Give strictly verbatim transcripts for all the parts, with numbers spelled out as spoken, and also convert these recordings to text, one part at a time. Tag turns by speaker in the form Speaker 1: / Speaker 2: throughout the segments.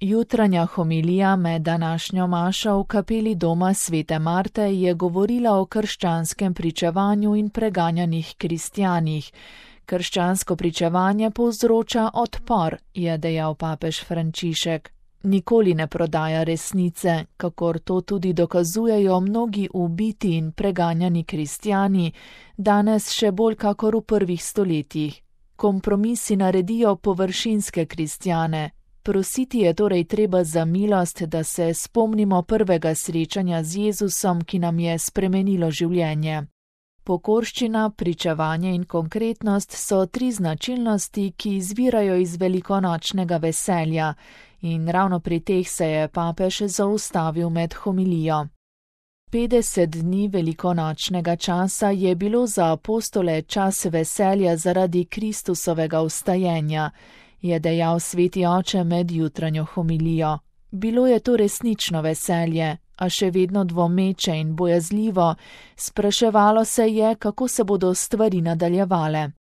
Speaker 1: Jutranja homilija med današnjo mašo v kapeli doma svete Marte je govorila o krščanskem pričevanju in preganjanih kristjanih. Krščansko pričevanje povzroča odpor, je dejal papež Frančišek. Nikoli ne prodaja resnice, kakor to tudi dokazujejo mnogi ubiti in preganjani kristjani, danes še bolj kakor v prvih stoletjih. Kompromisi naredijo površinske kristjane. Prositi je torej treba za milost, da se spomnimo prvega srečanja z Jezusom, ki nam je spremenilo življenje. Pokorščina, pričevanje in konkretnost so tri značilnosti, ki izvirajo iz velikonočnega veselja, in ravno pri teh se je papež zaustavil med homilijo. Petdeset dni velikonočnega časa je bilo za apostole čas veselja zaradi Kristusovega vstajenja, je dejal sveti oče med jutranjo homilijo. Bilo je to resnično veselje, a še vedno dvomeče in bojazljivo, spraševalo se je, kako se bodo stvari nadaljevale.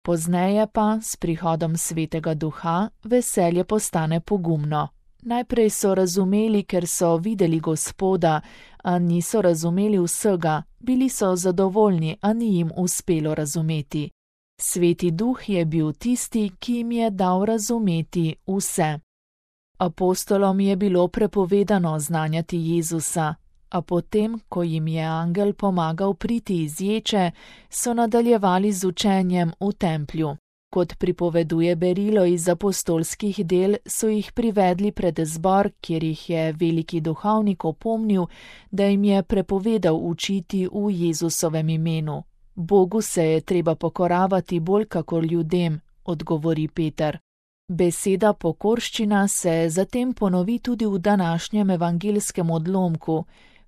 Speaker 1: Pozneje pa, s prihodom svetega duha, veselje postane pogumno. Najprej so razumeli, ker so videli Gospoda, a niso razumeli vsega, bili so zadovoljni, a ni jim uspelo razumeti. Sveti duh je bil tisti, ki jim je dal razumeti vse. Apostolom je bilo prepovedano znanjati Jezusa, a potem, ko jim je angel pomagal priti iz ječe, so nadaljevali z učenjem v templju. Kot pripoveduje berilo iz apostolskih del, so jih privedli pred zbor, kjer jih je veliki duhovnik opomnil, da jim je prepovedal učiti v Jezusovem imenu. Bogu se je treba pokoravati bolj kakor ljudem, odgovori Peter. Beseda pokorščina se zatem ponovi tudi v današnjem evangelskem odlomku.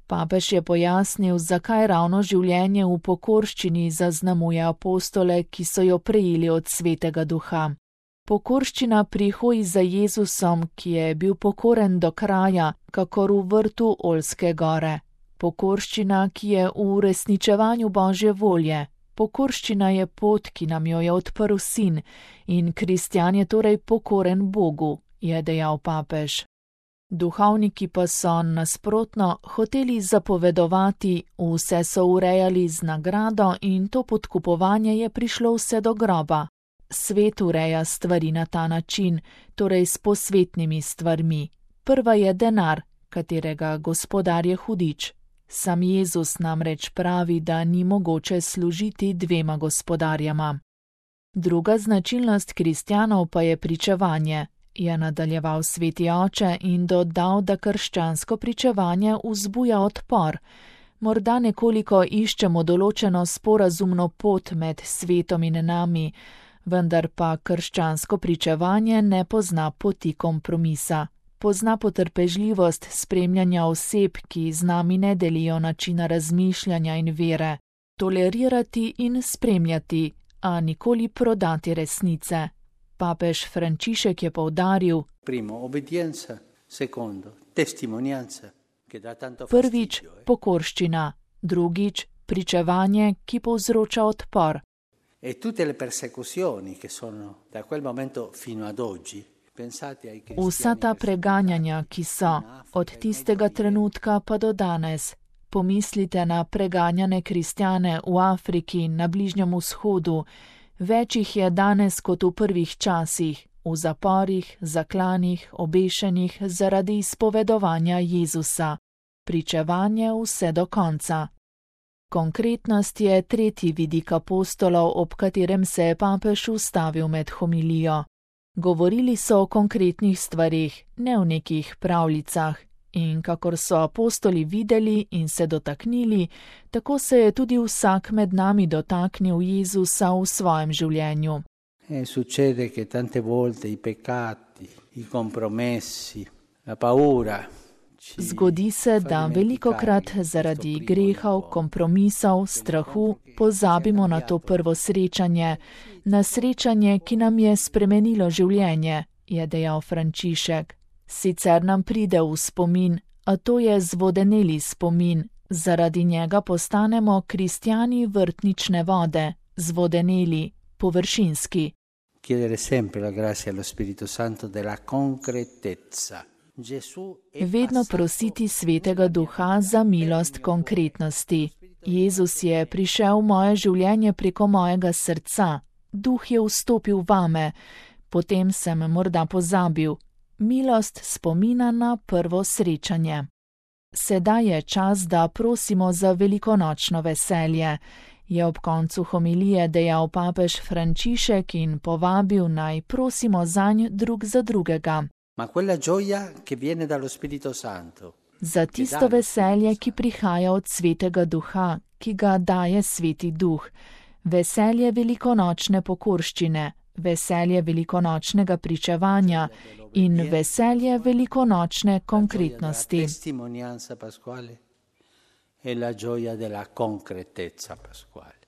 Speaker 1: Papež je pojasnil, zakaj ravno življenje v pokorščini zaznamuje apostole, ki so jo prejeli od svetega duha. Pokorščina pri hoji za Jezusom, ki je bil pokoren do kraja, kakor v vrtu Oljske gore. Pokorščina, ki je v uresničevanju Božje volje. Pokorščina je pot, ki nam jo je odprl Sin, in kristjan je torej pokoren Bogu, je dejal papež. Duhovniki pa so nasprotno hoteli zapovedovati, vse so urejali z nagrado in to podkupovanje je prišlo vse do groba. Svet ureja stvari na ta način, torej s posvetnimi stvarmi. Prva je denar, katerega gospodar je hudič. Sam Jezus namreč pravi, da ni mogoče služiti dvema gospodarjama. Druga značilnost kristjanov pa je pričevanje, je nadaljeval sveti oče in dodal, da krščansko pričevanje vzbuja odpor. Morda nekoliko iščemo določeno sporazumno pot med svetom in nami, vendar pa krščansko pričevanje ne pozna poti kompromisa. Pozna potrpežljivost spremljanja oseb, ki z nami ne delijo načina razmišljanja in vere, tolerirati in spremljati, a nikoli prodati resnice. Papež Frančišek je poudaril:
Speaker 2: Primo, obbedienza, secondo, testimonianza, che dà tanto fastidio.
Speaker 1: Prvič, pokorščina, drugič, pričevanje, ki povzroča odpor.
Speaker 2: E tutte le persecuzioni che sono da quel momento fino ad oggi.
Speaker 1: Vsa ta preganjanja, ki so, od tistega trenutka pa do danes. Pomislite na preganjane kristjane v Afriki in na Bližnjem vzhodu. Več jih je danes kot v prvih časih, v zaporih, zaklanih, obešenih zaradi izpovedovanja Jezusa. Pričevanje vse do konca. Konkretnost je tretji vidik apostolov, ob katerem se je papež ustavil med homilijo. Govorili so o konkretnih stvarih, ne o nekih pravljicah, in kakor so apostoli videli in se dotaknili, tako se je tudi vsak med nami dotaknil Jezusa v svojem življenju.
Speaker 2: E succede che tante volte i peccati, i compromessi, la paura.
Speaker 1: Zgodi se, da velikokrat zaradi grehov, kompromisov, strahu pozabimo na to prvo srečanje, na srečanje, ki nam je spremenilo življenje, je dejal Frančišek. Sicer nam pride v spomin, a to je zvodeneli spomin, zaradi njega postanemo kristjani vrtnične vode, zvodeneli, površinski.
Speaker 2: Chiedere sempre la grazia allo Spirito Santo della concretezza.
Speaker 1: Vedno prositi Svetega Duha za milost konkretnosti. Jezus je prišel v moje življenje preko mojega srca. Duh je vstopil vame. Potem sem morda pozabil. Milost spomina na prvo srečanje. Sedaj je čas, da prosimo za velikonočno veselje, je ob koncu homilije dejal papež Frančišek in povabil, naj prosimo zanj drug za drugega.
Speaker 2: Ma quella gioia che viene dallo Spirito Santo.
Speaker 1: Za tisto veselje, ki prihaja od Svetega Duha, ki ga daje Sveti Duh. Veselje velikonočne pokorščine, veselje velikonočnega pričevanja in veselje velikonočne konkretnosti.
Speaker 2: Testimonianza pasquale e la gioia della concretezza pasquale.